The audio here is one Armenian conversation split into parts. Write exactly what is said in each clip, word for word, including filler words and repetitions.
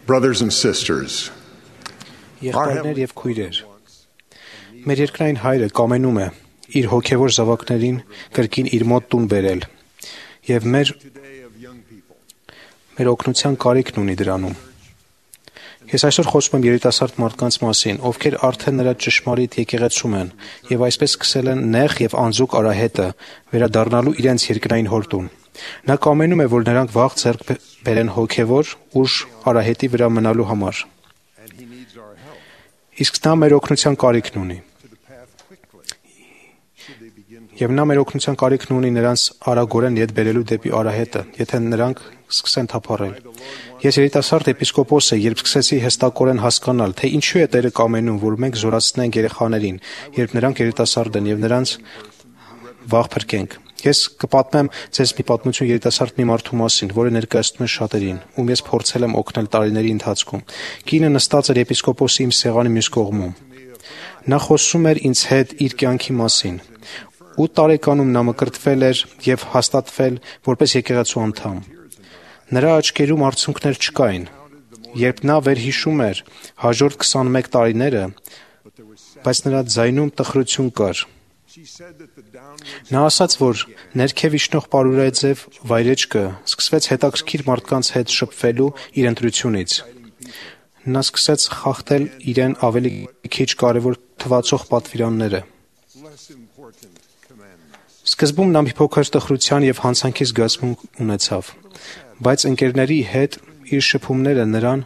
Brothers and sisters, Եղբայրներ եւ քույրեր, մեր երկրային հայրը կամենում է իր հոգևոր զավակներին կրկին իր մոտ տուն բերել եւ մեր մեր օգնության կարիքն ունի դրանում։ Ես այսօր խոսում եմ երիտասարդ մարդկանց մասին, ովքեր արդեն նրա ճշմարիտ եկեղեցում են եւ այսպես սկսել են նեղ եւ անձուկ արահետը վերադառնալու իրենց երկրային հորտուն։ Նա կամենում է, որ նրանք վաղ ձեռք բերեն հոգևոր ուժ արահետի վրա մնալու համար։ Իսկ նա մեր օգնության կարիքն ունի։ Եվ նա մեր օգնության կարիքն ունի նրանց արագորեն ետ բերելու դեպի արահետը, եթե նրանք սկսեն թափառել։ Ես երիտասարդ էպիսկոպոս եմ, երբ սկսեցի հստակորեն հասկանալ, թե ինչու է Տերը կամենում, որ մենք զորացնենք երեխաներին, երբ նրանք երիտասարդ են եւ նրանց վաղ փրկենք։ Ես կպատմեմ ձեզ մի պատմություն երիտասարդ մի մարդու մասին, որը ներկայացնում է շատերին, ում ես փորձել եմ օգնել տարիների ընթացքում։ Կինը նստած էր էպիսկոպոսի իմ սեղանի մյուս կողմում։ Նա խոսում էր ինձ հետ իր կյանքի մասին։ ութ տարեկանում նա մկրտվել էր եւ հաստատվել որպես եկեղեցու անդամ։ Նրա աչքերում արցունքներ չկային։ Երբ նա վերհիշում էր հաջորդ քսանմեկ տարիները, բայց նրա ձայնում տխրություն կար։ Նա ասաց, որ ներքև իջնող պարուրաձև վայրեջքը սկսվեց հետաքրքիր մարդկանց հետ շփվելու իր ընտրությունից։ Նա սկսեց խախտել իրեն ավելի քիչ կարևոր թվացող պատվիրանները։ Սկզբում նա մի փոքր տխրության եւ հանցանքի զգացմունք ունեցավ, բայց ընկերների հետ իր շփումները նրան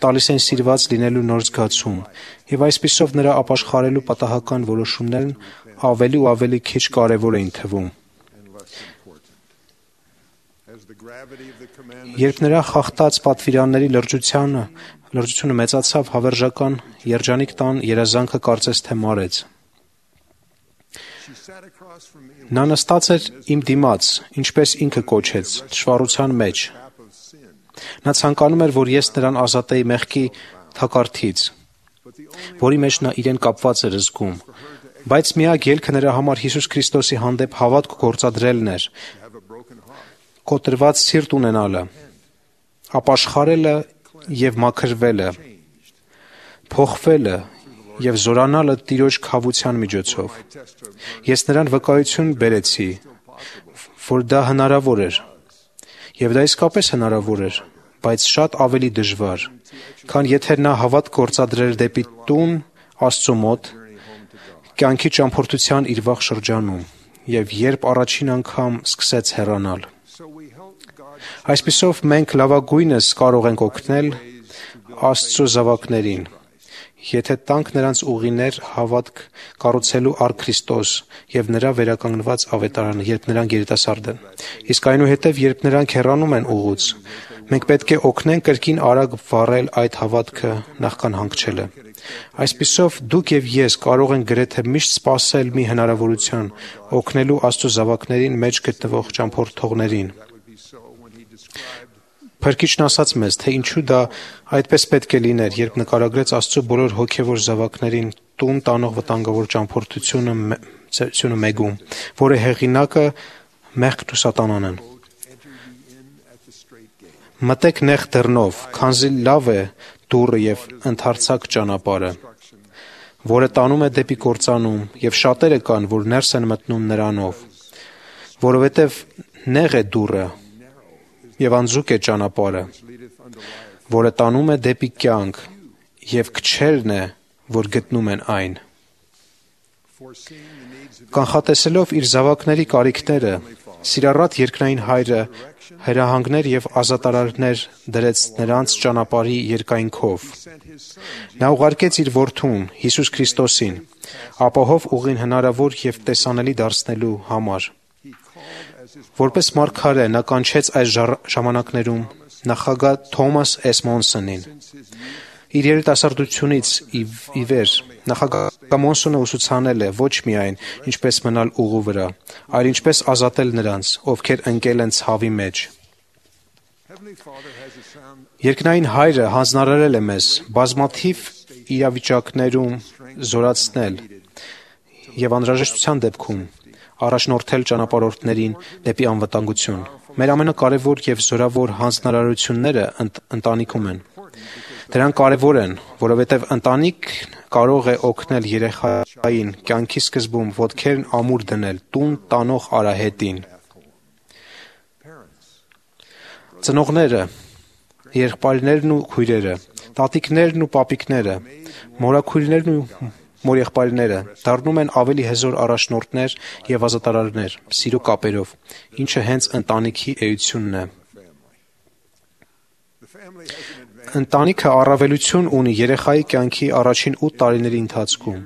տալիս են սիրված լինելու նոր զգացում, եւ այսպիսով նրա ապաշխարելու պատահական որոշումներն ավելի ու ավելի քիչ կարևոր էին թվում։ Երբ նրա խախտած պատվիրանների լրջությունը լրջությունը մեծացավ, հավերժական երջանիկ տան երազանքը կարծես թե մարեց։ Նա նստած էր իմ դիմաց, ինչպես ինքը կոչեց, թշվառության մեջ։ Նա ցանկանում էր, որ ես նրան ազատեի մեղքի թակարդից, որի մեջ նա իրեն կապված էր զգում, բայց միակ ելքը նրա համար Հիսուս Քրիստոսի հանդեպ հավատք գործադրելն էր, կոտրված սիրտ ունենալը, ապաշխարելը եւ մաքրվելը, փոխվելը եւ զորանալը Տիրոջ քավության միջոցով։ Ես նրան վկայություն բերեցի, որ դա հնարավոր էր, եւ դա իսկապես հնարավոր էր, բայց շատ ավելի դժվար, քան եթե նա հավատք գործադրեր դեպի տուն Աստծո մոտ, կյանքի ճամփորդության իր վաղ շրջանում, եւ երբ առաջին անգամ սկսեց հեռանալ։ Այսպիսով մենք լավագույնս կարող ենք օգնել Աստծո զավակներին, եթե տանք նրանց ուղիներ հավատք կառուցելու առ Քրիստոս եւ նրա վերականգնված ավետարանը, երբ նրանք երիտասարդ են։ Իսկ այնուհետև, երբ նրանք հեռանում են ուղուց, մենք պետք է օգնենք կրկին արագ վառել այդ հավատքը նախքան հանգչելը։ Այսպիսով դուք եւ ես կարող ենք գրեթե միշտ սпасել մի հնարավորության օգնելու Աստծո զավակներին մեջ գտնվող ճամփորդողներին։ Փրկիչն ասաց մեզ, թե ինչու դա այդպես պետք է լիներ, երբ նկարագրեց Աստծո բոլոր հոգևոր զավակներին տուն տանող վտանգավոր ճամփորդությունը մեգում, որը հեղինակը մեղքն ու սատանան են։ Մտեք նեղ դռնով, քանզի լավ է դուռը եւ ընդարձակ ճանապարհը, որը տանում է դեպի կործանում, եւ շատերը կան, որ ներս են մտնում նրանով, որովհետեւ նեղ է դուռը եւ անձուկ է ճանապարհը, որը տանում է դեպի կյանք, եւ քչերն է, որ գտնում են այն։ Կանխատեսելով իր զավակների կարիքները, սիրառատ երկնային հայրը հրահանգներ եւ ազատարարներ դրեց նրանց ճանապարհի երկայնքով։ Նա ուղարկեց իր որդուն Հիսուս Քրիստոսին, ապահով ուղին հնարավոր եւ տեսանելի դարձնելու համար։ Որպես մարգարե նա կանչեց այս ժամանակներում նախագահ Թոմաս Էսմոնսոնին։ Իր երիտասարդությունից ի վեր նախագահ Մոնսոնը ուսուցանել է ոչ միայն ինչպես մնալ ուղու վրա, այլ ինչպես ազատել նրանց, ովքեր ընկել են ցավի մեջ։ Երկնային հայրը հանձնարարել է մեզ բազմաթիվ իրավիճակներում զորացնել եւ անհրաժեշտության դեպքում առաջնորդել ճանապարհորդներին դեպի անվտանգություն, Մեր ամենակարևոր եւ զորավոր հանձնարարությունները ընտ, ընտանիքում են։ Դրանք կարևոր են, որովհետեւ ընտանիքն կարող է օգնել երեխային կյանքի սկզբում ոտքերն ամուր դնել տուն տանող արահետին։ Ծնողները, եղբայրներն ու քույրերը, տատիկներն ու պապիկները, մորաքույրներն ու մորեղբայրները դառնում են ավելի հզոր առաջնորդներ եւ ազատարարներ սիրո կապերով, ինչը հենց ընտանիքի էությունն է։ Ընտանիքը առավելություն ունի երեխայի կյանքի առաջին ութ տարիների ընթացքում։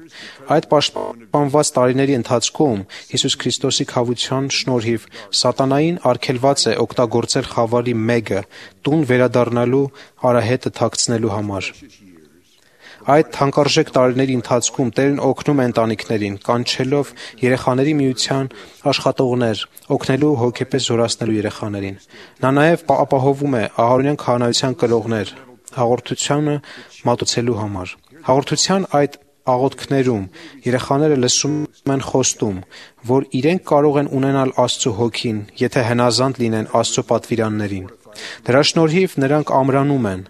Այդ պաշտպանված տարիների ընթացքում Հիսուս Քրիստոսի քավության շնորհիվ սատանային արգելված է օգտագործել խավարի մեկը տուն վերադառնալու արահետը թաքցնելու համար։ Այդ թանկարժեք տարիների ընթացքում Տերն օգնում է ընտանիքներին, կանչելով երեխաների միության աշխատողներ, օգնելու հոգեպես զորացնելու երեխաներին։ Նա նաև ապահովում է ահարոնյան քահանայության կրողներ հաղորդությունը մատուցելու համար։ Հաղորդության այդ աղոթքներում երեխաները լսում են խոստում, որ իրենք կարող են ունենալ Աստծո հոգին, եթե հնազանդ լինեն Աստծո պատվիրաններին։ Դրա շնորհիվ նրանք ամրանում են,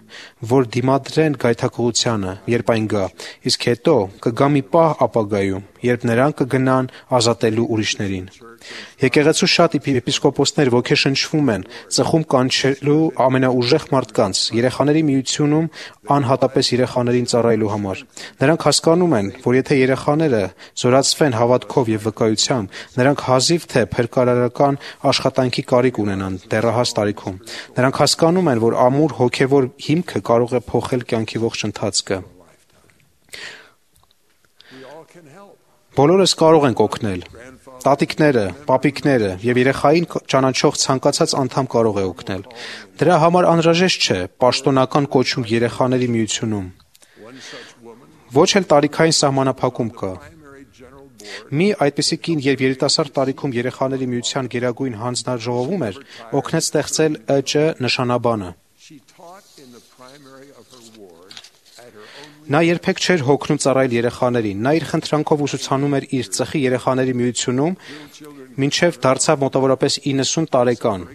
որ դիմադրեն գայթակղությանը, երբ այն գա, իսկ հետո կգա մի պահ ապագայում, երբ նրանք կգնան ազատելու ուրիշներին։ Եկեղեցու շատ եպիսկոպոսներ ոգեշնչվում են ծխում կանչելու ամենաուժեղ մարդկանց երեխաների միությունում անհատապես երեխաներին ծառայելու համար։ Նրանք հասկանում են, որ եթե երեխաները զորացվեն հավատքով եւ վկայությամբ, նրանք հազիվ թե փրկարարական աշխատանքի կարիք ունենան դեռահաս տարիքում։ Նրանք հասկանում են, որ ամուր հոգեվոր հիմքը կարող է փոխել կյանքի ողջ ընթացքը։ Բոլորս կարող ենք օգնել։ Տատիկները, պապիկները եւ երեխային ճանաչող ցանկացած անդամ կարող է օգնել։ Դրա համար անհրաժեշտ չէ պաշտոնական կոչում երեխաների միությունում։ Ոչ էլ տարիքային սահմանափակում կա։ Մի այդպիսի կին, երբ երիտասարդ տարիքում երեխաների միության գերագույն հանձնաժողովում էր, օգնեց ստեղծել ԸՃ նշանաբանը։ Նա երբեք չէր հոգնում ծառայել երեխաներին։ Նա իր խնդրանքով ուսուցանում էր իր ծխի երեխաների միությունում, մինչև դարձավ մոտավորապես իննսուն տարեկան։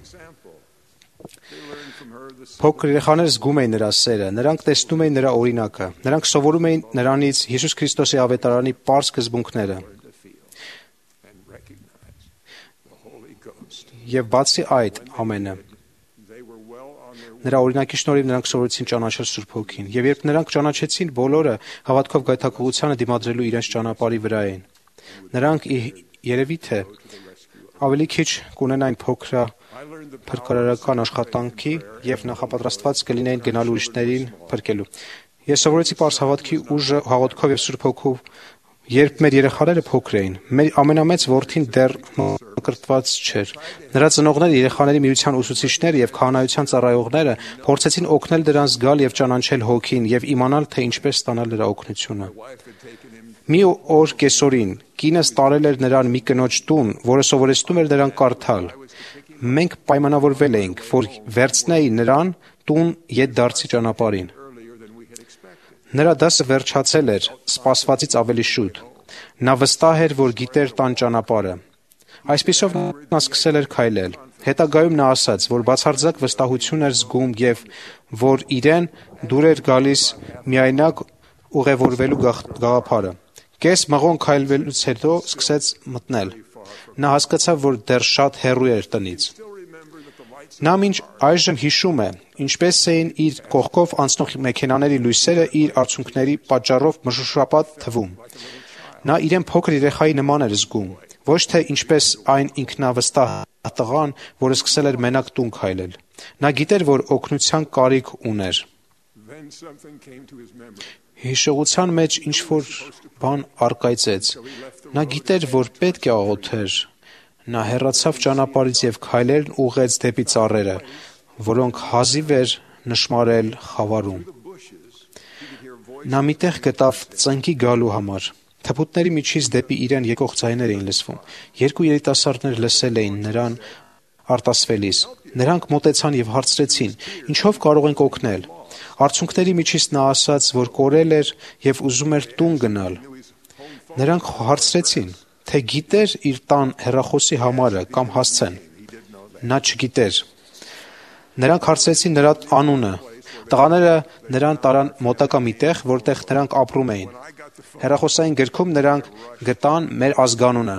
Փոքր երեխաները զգում էին նրա սերը, նրանք տեսնում էին նրա օրինակը, նրանք սովորում էին նրանից Հիսուս Քրիստոսի ավետարանի պարզ սկզբունքները։ Եվ բացի այդ ամենը, նրա օրինակի շնորհիվ նրանք սովորեցին ճանաչել Սուրբ Հոգին, եւ երբ նրանք ճանաչեցին, բոլորը հավատքով գայթակղությանը դիմադրելու իրենց ճանապարհի վրա էին։ Նրանք երևի թե ավելի քիչ կունենային փոքր փրկարարական աշխատանքի եւ նախապատրաստված կլինեին գնալ ուրիշներին փրկելու։ Ես սովորեցի պարզ հավատքի ուժը հաղորդքով եւ Սուրբ Հոգով, երբ մեր երեխաները փոքր էին։ Մեր ամենամեծ որդին դեռ մկրտված չէր։ Նրա ծնողները, երեխաների միության ուսուցիչները եւ քահանայության ծառայողները փորձեցին օգնել դրան զգալ եւ ճանաչել Հոգին եւ իմանալ, թե ինչպես ստանալ նրա օգնությունը։ Մի օր կեսօրին կինս տարել էր նրան մի կնոջ տուն, որը սովորեցնում էր նրան կարդալ։ Մենք պայմանավորվել էինք, որ վերցնեի նրան տուն ետդարձի ճանապարհին։ Նրա դասը վերջացել էր սպասվածից ավելի շուտ։ Նա վստահ էր, որ գիտեր տան ճանապարհը։ Այսպիսով նա սկսել էր քայլել։ Հետագայում նա ասաց, որ բացարձակ վստահություն էր զգում եւ որ իրեն դուր էր գալիս միայնակ ուղևորվելու գաղափարը։ Կես մղոն քայլվելուց հետո սկսեց մտնել։ Նա հասկացավ, որ դեռ շատ հեռու էր տնից։ Նա մինչ այժմ հիշում է, ինչպես էին իր կողքով անցնող մեքենաների լույսերը իր արցունքների պատճառով մշուշապատ թվում։ Նա իրեն փոքր երեխայի նման էր զգում, ոչ թե ինչպես այն ինքնավստահ տղան, որը սկսել էր մենակ տուն քայլել։ Նա գիտեր, որ օգնության կարիք ուներ։ Հիշողության մեջ ինչ-որ բան առկայծեց։ Նա գիտեր, որ պետք է աղոթեր։ Նա հեռացավ ճանապարհից եւ քայլերն ուղղեց դեպի ծառերը, որոնք հազիվ էր նշմարել խավարում։ Նա միտեղ գտավ ծնկի գալու համար։ Թփուտների միջից դեպի իրեն եկող ձայներ էին լսվում։ Երկու երիտասարդներ լսել էին նրան արտասվելիս։ Նրանք մոտեցան եւ հարցրեցին. «Ինչով կարող ենք օգնել»։ Արցունքների միջից նա ասաց, որ կորել էր եւ ուզում էր տուն գնալ։ Նրանք հարցրեցին, թե գիտեր իր տան հեռախոսի համարը կամ հասցեն։ նա չգիտեր։ Նրանք հարցրեցին նրա անունը։ Տղաները նրան տարան մոտակա մի տեղ, որտեղ նրանք ապրում էին։ Հեռախոսային գրքում նրանք գտան մեր ազգանունը։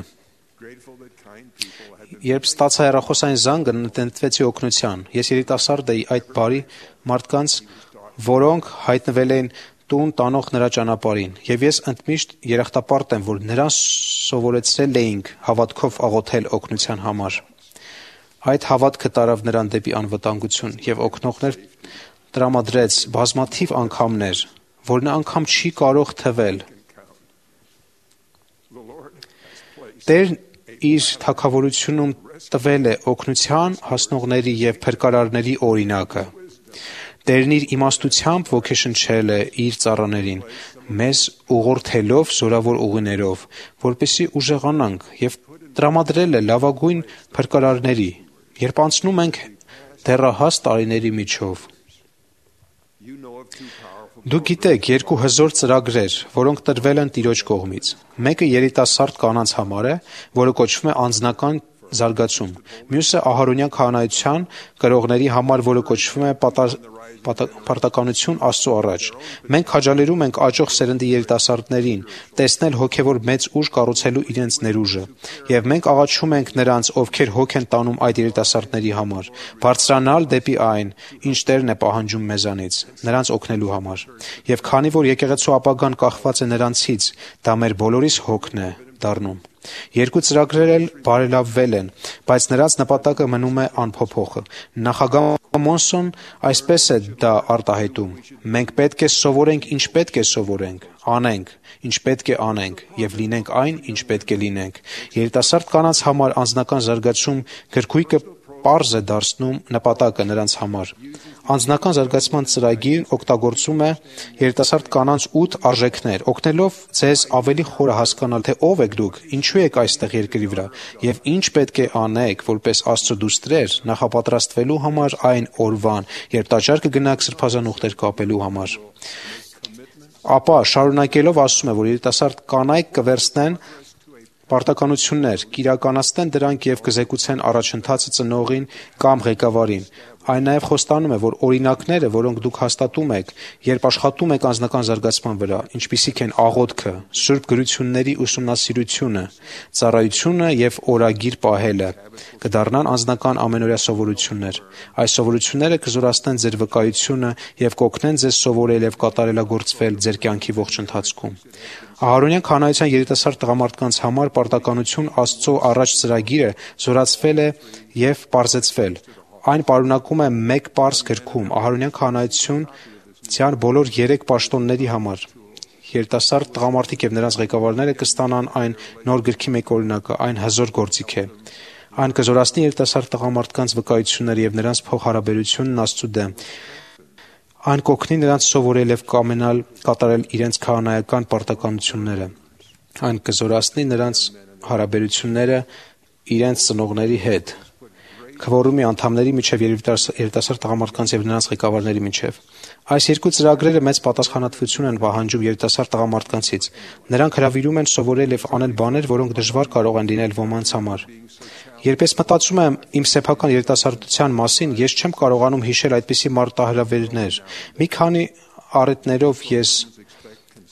Երբ ստացա հեռախոսային զանգը, նետվեցի օգնության։ Ես երիտասարդ էի այդ բարի մարդկանց, որոնք հայտնվել էին տուն տանող նրա ճանապարհին, եւ ես ընդմիշտ երախտապարտ եմ, որ նրան սովորեցրել էինք հավատքով աղոթել օգնության համար։ Այդ հավատքը տարավ նրան դեպի անվտանգություն եւ օգնողներ տրամադրեց բազմաթիվ անգամներ, որ նա անգամ չի կարող թվել։ Տերն իր թագավորությունում տվել է օգնության հասնողների եւ փրկարարների օրինակը։ Տերն իր իմաստությամբ ոգեշնչել է իր ծառաներին, մեզ ուղղորդելով զորավոր ուղիներով, որպեսզի ուժեղանանք եւ տրամադրել է լավագույն փրկարարների, երբ անցնում ենք դեռահաս տարիների միջով։ Դուք գիտեք երկու հզոր ծրագրեր, որոնք տրվել են Տիրոջ կողմից։ Մեկը երիտասարդ կանանց համար է, որը կոչվում է անձնական զարգացում։ Մյուսը ահարոնյան քահանայության կրողների համար, որը կոչվում է պարտականություն Աստծո առաջ։ Մենք քաջալերում ենք աճող սերնդի երիտասարդներին տեսնել հոգևոր մեծ ուժ կառուցելու իրենց ներուժը, եւ մենք աղաչում ենք նրանց, ովքեր հոգ են տանում այդ երիտասարդների համար, բարձրանալ դեպի այն, ինչ Տերն է պահանջում մեզանից, նրանց օգնելու համար։ Եվ քանի որ եկեղեցու ապագան կախված է նրանցից, դա մեր բոլորիս հոգն է դառնում։ Երկու ծրագրեր էլ բարելավվել են, բայց նրանց նպատակը մնում է անփոփոխ։ Նախագահ Մոնսոն այսպես է դա արտահայտում. մենք պետք է սովորենք, ինչ պետք է սովորենք, անենք, ինչ պետք է անենք եւ լինենք այն, ինչ պետք է լինենք։ Երիտասարդ կանանց համար անձնական զարգացում գրքույկը պարզ է դարձնում նպատակը նրանց համար։ Անձնական զարգացման ծրագիրն օգտագործում է երիտասարդ կանանց ութ արժեքներ, օգնելով ձեզ ավելի խորը հասկանալ, թե ով եք դուք, ինչու եք այստեղ երկրի վրա եւ ինչ պետք է անեք, որպես Աստծո դուստրեր, նախապատրաստվելու համար այն օրվան, երբ տաճար կգնաք սրբազան ուխտեր կապելու համար։ Ապա շարունակելով ասում է, որ երիտասարդ կանայք կվերցնեն պարտականություններ, կիրականացնեն դրանք եւ կզեկուցեն առաջընթացը ծնողին կամ ղեկավարին։ Այն նաև խոստանում է, որ օրինակները, որոնք դուք հաստատում եք, երբ աշխատում եք անձնական զարգացման վրա, ինչպիսիք են աղոթքը, սուրբ գրությունների ուսումնասիրությունը, ծառայությունը եւ օրագիր պահելը, կդառնան անձնական ամենօրյա սովորություններ։ Այս սովորությունները կզորացնեն ձեր վկայությունը եւ կօգնեն ձեզ սովորել եւ կատարելագործվել ձեր կյանքի ողջ ընթացքում։ Ահարոնյան քահանայության երիտասարդ տղամարդկանց համար պարտականություն Աստծո առաջ ծրագիրը զորացվել է եւ պարզեցվել։ Այն պարունակում է մեկ պարզ գրքում ահարոնյան քահանայության բոլոր երեք պաշտոնների համար։ Երիտասարդ տղամարդիկ եւ նրանց ղեկավարները կստանան այն նոր գրքի մեկ օրինակը, այն հզոր գործիք է։ Այն կզորացնի երիտասարդ տղամարդկանց վկայությունները եւ նրանց փոխհարաբերությունն Աստծո դեմ։ Այն կօգնի նրանց սովորել եւ կամենալ կատարել իրենց քահանայական պարտականությունները։ Այն կզորացնի նրանց հարաբերությունները իրենց ծնողների հետ, քվորումի անդամների միջև երիտասարդ տղամարդկանց եւ նրանց ղեկավարների միջև։ Այս երկու ծրագրերը մեծ պատասխանատվություն են պահանջում երիտասարդ տղամարդկանցից։ Նրանք հրավիրում են սովորել եւ անել բաներ, որոնք դժվար կարող են լինել ոմանց համար։ Երբ ես մտածում եմ իմ սեփական երիտասարդության մասին, ես չեմ կարողանում հիշել այդպիսի մարտահրավերներ։ Մի քանի առիթներով ես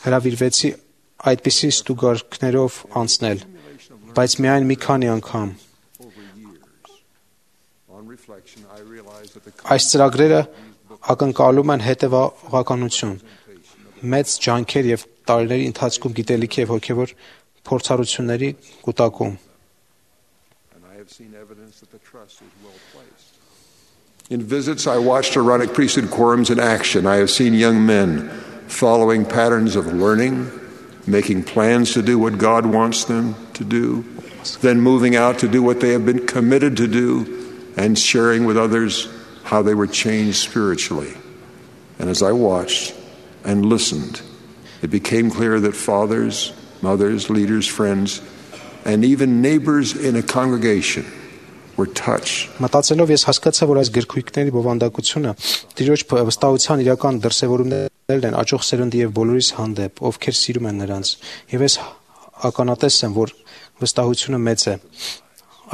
հրավիրվեցի այդպիսի ստուգարքներով անցնել, բայց միայն մի քանի անգամ։ Այս ծրագրերը ակնկալում են հետևողականություն, մեծ ջանքեր եւ տարիների ընթացքում գիտելիքի եւ հոգեվոր փորձառությունների կուտակում։ In visits, I watched Aaronic priesthood quorums in action. I have seen young men following patterns of learning, making plans to do what God wants them to do, then moving out to do what they have been committed to do, and sharing with others how they were changed spiritually. And as I watched and listened, it became clear that fathers, mothers, leaders, friends, and even neighbors in a congregation were touched. Մտածելով ես հասկացա, որ այս գրքույկների բովանդակությունը Տիրոջ վստահության իրական դրսևորումներն են աճող սերնդի եւ բոլորիս հանդեպ, ովքեր սիրում են նրանց, եւ ես ականատես եմ, որ վստահությունը մեծ է։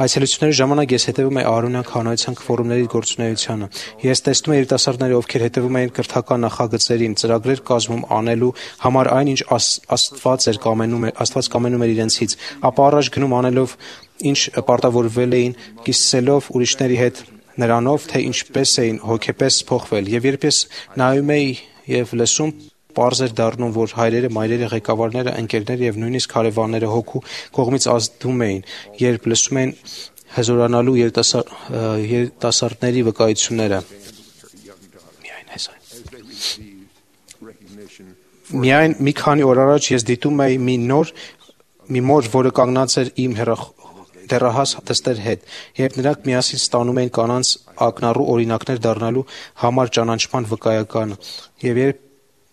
Այցելությունների ժամանակ ես հետևում էի Արոնյան քահանայության ֆորումների գործունեությանը։ Ես տեսնում էի երիտասարդները, ովքեր հետևում էին կրթական նախագծերին, ծրագրեր կազմում անելու համար այն, ինչ Աստված էր կամենում, Աստված կամենում էր իրենցից, ապա առաջ գնում անելով, ինչ պարտավորվել էին, կիսելով ուրիշների հետ նրանով, թե ինչպես էին հոգեպես փոխվել։ Եվ երբ ես նայում էի եւ լսում, պարզ էր դառնում, որ հայրերը, մայրերը, ղեկավարները, ընկերները եւ նույնիսկ հարևանները հոգու կողմից ազդում էին, երբ լսում էին հզորանալու երիտասարդների վկայությունները։ Միայն այս այն։ Միայն մի քանի օր առաջ ես դիտում էի մի նոր մի մոր, որը կանգնած էր իմ դեռահաս դստեր հետ, երբ նրանք միասին ստանում էին կանանց ակնառու օրինակներ դառնալու համար ճանաչման վկայականը, եւ երբ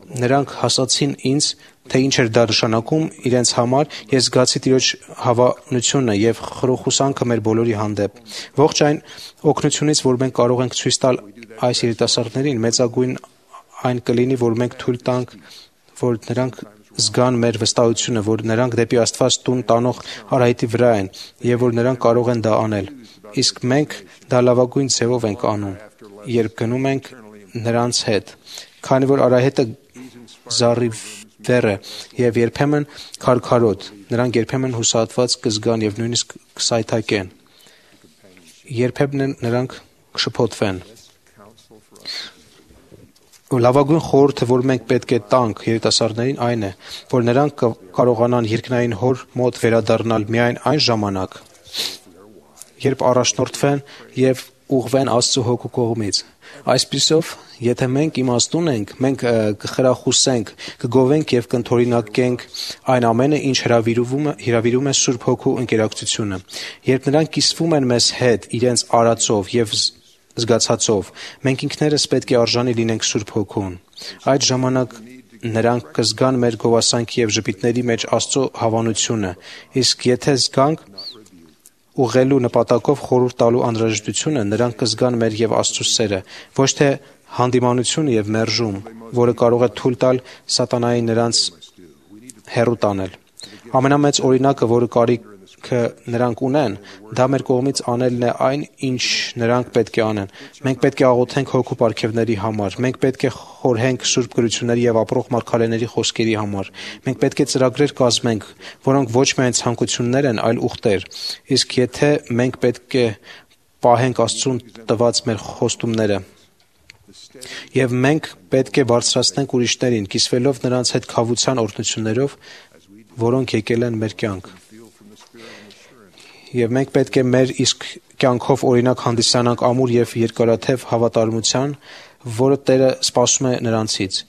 նրանք հասացին ինձ, թե ինչ էր դա նշանակում իրենց համար, ես զգացի Տիրոջ հավանությունը եւ խրոխուսանքը մեր բոլորի հանդեպ։ Ողջ այն օգնությունից, որ մենք կարող ենք ցույց տալ այս երիտասարդներին, մեծագույն այն կլինի, որ մենք թույլ տանք, որ նրանք զգան մեր վստահությունը, որ նրանք դեպի Աստված տուն տանող արահետի վրա են եւ որ նրանք կարող են դա անել։ Իսկ մենք դա լավագույն ձևով ենք անում, երբ գնում ենք նրանց հետ, քանի որ արահետը զառիվեր է եւ երբեմն քարքարոտ, նրանք երբեմն հուսահատված կզգան եւ նույնիսկ կսայթակեն, երբեմն նրանք կշփոթվեն։ Լավագույն խորհուրդը, որ մենք պետք է տանք երիտասարդներին, այն է, որ նրանք կարողանան երկնային Հոր մոտ վերադառնալ միայն այն ժամանակ, երբ առաջնորդվեն եւ ուղղվեն Աստծո հոգու կողմից։ Այսպիսով, եթե մենք իմաստուն ենք, մենք կխրախուսենք, կգովենք եւ կընդօրինակենք այն ամենը, ինչ հրավիրում է հրավիրում է Սուրբ Հոգու ընկերակցությունը։ Երբ նրանք կիսվում են մեզ հետ իրենց արածով եւ զգացածով, մենք ինքներս պետք է արժանի լինենք Սուրբ Հոգուն։ Այդ ժամանակ նրանք կզգան մեր գովասանքի եւ ժպիտների մեջ Աստծո հավանությունը, իսկ եթե զգանք ուղղելու նպատակով խորհուրդ տալու անհրաժեշտությունը, նրանք կզգան մեր եւ Աստծո սերը, ոչ թե հանդիմանությունը եւ մերժում, որը կարող է թույլ տալ սատանային նրանց հեռու տանել։ Ամենամեծ օրինակը, որը կարիք նրանք ունեն, դա մեր կողմից անելն է այն, ինչ նրանք պետք է անեն։ Մենք պետք է աղոթենք հոգու պարգևների համար, մենք պետք է խորհենք Սուրբ գրությունների եւ ապրող մարգարեների խոսքերի համար։ Մենք պետք է ծրագրեր կազմենք, որոնք ոչ միայն ցանկություններ են, այլ ուխտեր։ Իսկ եթե մենք պետք է պահենք Աստծուն տված մեր խոստումները, եւ մենք պետք է բարձրացնենք ուրիշներին, կիսվելով նրանց հետ քավության օրհնություններով, որոնք եկել են մեր կյանք։ Եվ մենք պետք է մեր իսկ կյանքով օրինակ հանդիսանանք ամուր եւ երկարաթև հավատարմության, որը Տերը սպասում է նրանցից։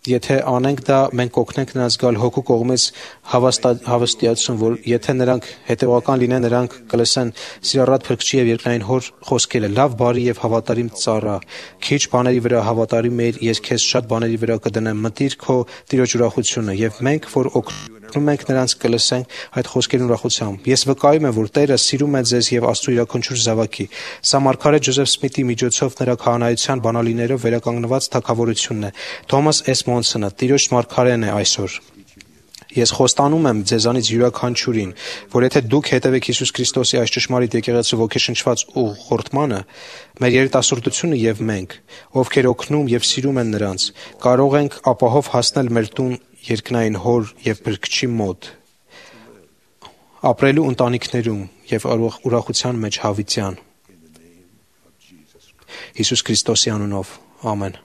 Եթե անենք դա, մենք կօգնենք նրանց գալ հոգու կողմից հավաստիացում, որ եթե նրանք հետևական լինեն, նրանք կլսեն սիրառատ Փրկչի եւ երկնային Հոր խոսքերը. «Լավ, բարի եւ հավատարիմ ծառա, քիչ բաների վրա հավատարիմ էիր, ես քեզ շատ բաների վրա կդնեմ, մտիր քո Տիրոջ ուրախությունը»։ Եվ մենք, որ օգնում ենք նրանց, կլսենք այդ խոսքերն ուրախությամբ։ Ես վկայում եմ, որ Տերը սիրում է ձեզ եւ Աստծո յուրաքանչյուր զավակի։ Սա մարգարե Ջոզեֆ Սմիթի միջոցով նրա քահանայության բանալիներով վերականգնված թագավորությունն է։ Թոմաս Էս Մոնսոնը Տիրոջ մարգարեն է այսօր։ Ես խոստանում եմ ձեզանից յուրաքանչյուրին, որ եթե դուք հետևեք Հիսուս Քրիստոսի այս ճշմարիտ եկեղեցու ոգեշնչված ուղղորդմանը, մեր երիտասարդությունը եւ մենք, ովքեր օգնում եւ սիրում են նրանց, կարող ենք ապահով հասնել մեր տուն երկնային Հոր եւ Փրկչի մոտ, ապրելու ընտանիքներում եւ ուրախության մեջ հավիտյան։ Հիսուս Քրիստոսի անունով, ամեն։